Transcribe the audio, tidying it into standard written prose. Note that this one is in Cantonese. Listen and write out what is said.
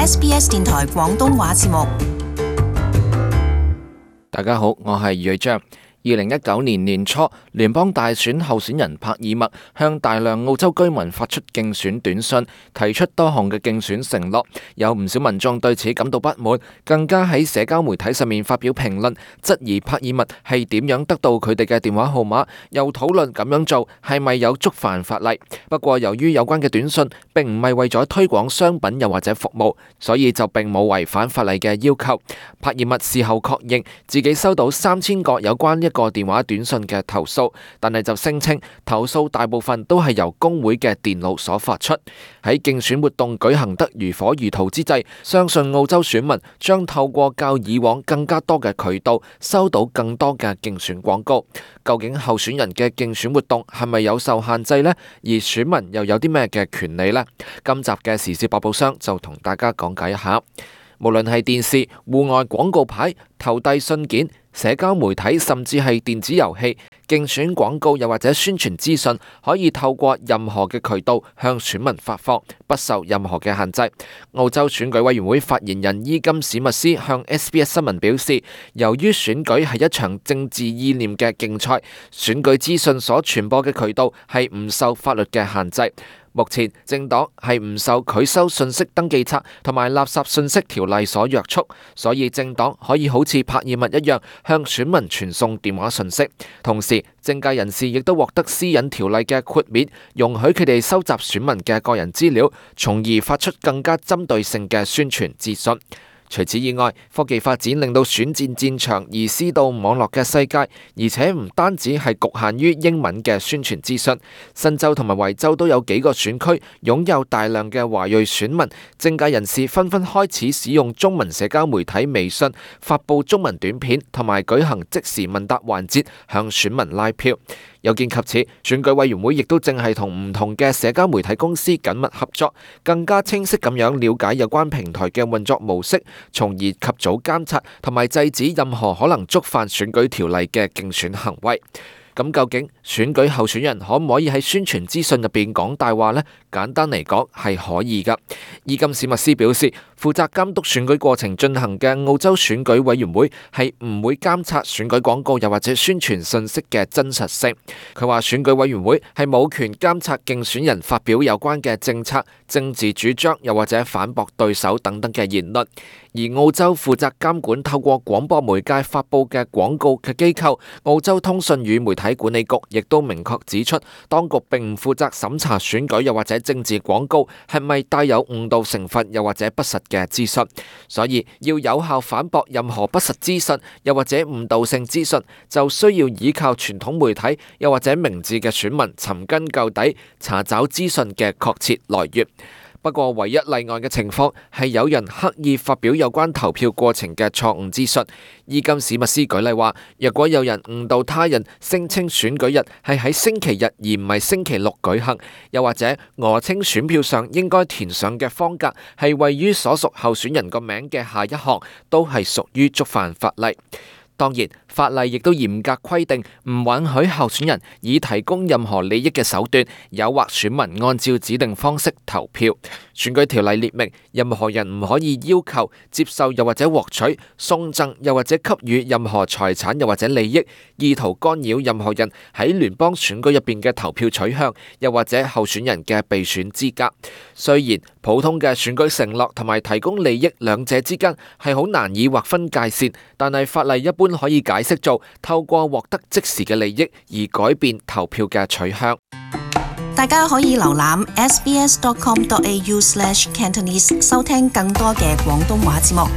SBS 電台廣東話節目。大家好，我係余章。2019年年初，聯邦大選候選人帕爾默向大量澳洲居民發出競選短信，提出多項嘅競選承諾，有唔少民眾對此感到不滿，更加喺社交媒體上面發表評論，質疑帕爾默係點樣得到佢哋嘅電話號碼，又討論咁樣做係咪有觸犯法例。不過由於有關嘅短信並唔係為咗推廣商品又或者服務，所以就並冇違反法例嘅要求。帕爾默事後確認自己收到3000個有關一個電話短信嘅投訴，但係就聲稱投訴大部分都係由工會嘅電腦所發出。喺競選活動舉行得如火如荼之際，相信澳洲選民將透過較以往更加多嘅渠道收到更多嘅競選廣告。究竟候選人嘅競選活動係咪有受限制呢？而選民又有啲咩嘅權利呢？今集嘅時事百寶箱就同大家講解一下。無論係電視、戶外廣告牌、投遞信件、社交媒體，甚至係電子遊戲，競選廣告又或者宣傳資訊，可以透過任何嘅渠道向選民發放，不受任何嘅限制。澳洲選舉委員會發言人伊金史密斯向 SBS 新聞表示，由於選舉係一場政治意念嘅競賽，選舉資訊所傳播嘅渠道係唔受法律嘅限制。目前政黨係唔受拒收信息登記冊同埋垃圾信息條例所約束，所以政黨可以好似帕爾默一樣向選民傳送電話信息。同時，政界人士亦都獲得私隱條例嘅豁免，容許佢哋收集選民嘅個人資料，從而發出更加針對性嘅宣傳資訊。除此以外，科技發展令到選戰戰場移師到網絡嘅世界，而且唔單止係局限於英文嘅宣傳資訊。新州同埋維州都有幾個選區擁有大量嘅華裔選民，政界人士紛紛開始使用中文社交媒體微信發布中文短片，同埋舉行即時問答環節向選民拉票。有見及此，選舉委員會亦都正係同唔同嘅社交媒體公司緊密合作，更加清晰咁樣了解有關平台嘅運作模式，從而及早監察同埋制止任何可能觸犯選舉條例嘅競選行為。咁究竟選舉候選人可唔可以喺宣傳資訊入邊講大話呢？簡單嚟講係可以㗎。伊金史密斯表示，負責監督選舉過程進行嘅澳洲選舉委員會係唔會監察選舉廣告又或者宣傳信息嘅真實性。佢話選舉委員會係冇權監察競選人發表有關嘅政策、政治主張又或者反駁對手等等嘅言論。而澳洲負責監管透過廣播媒介發佈嘅廣告嘅機構澳洲通訊與媒體管理局亦都明確指出，當局並唔負責審查選舉又或者政治廣告係咪帶有誤導成分又或者不實嘅資訊，所以要有效反駁任何不實資訊又或者誤導性資訊，就需要依靠傳統媒體又或者明智嘅選民尋根究底，查找資訊嘅確切來源。不過，唯一例外嘅情況係有人刻意發表有關投票過程嘅錯誤資訊。伊金史密斯舉例話，若果有人誤導他人，聲稱選舉日係喺星期日而唔係星期六舉行，又或者訛稱選票上應該填上嘅方格係位於所屬候選人個名嘅下一行，都係屬於觸犯法例。當然，法例亦都嚴格規定唔允許候選人以提供任何利益嘅手段誘惑選民按照指定方式投票。選舉條例列明，任何人唔可以要求、接受又或者獲取、送贈又或者給予任何財產又或者利益，意圖干擾任何人喺聯邦選舉入邊嘅投票取向，又或者候選人嘅備選資格。雖然普通嘅選舉承諾同埋提供利益兩者之間係好難以劃分界線，但係法例一般可以解釋做透過獲得即時嘅利益而改變投票嘅取向。大家可以瀏覽 sbs.com.au/Cantonese 收聽更多嘅廣東話節目。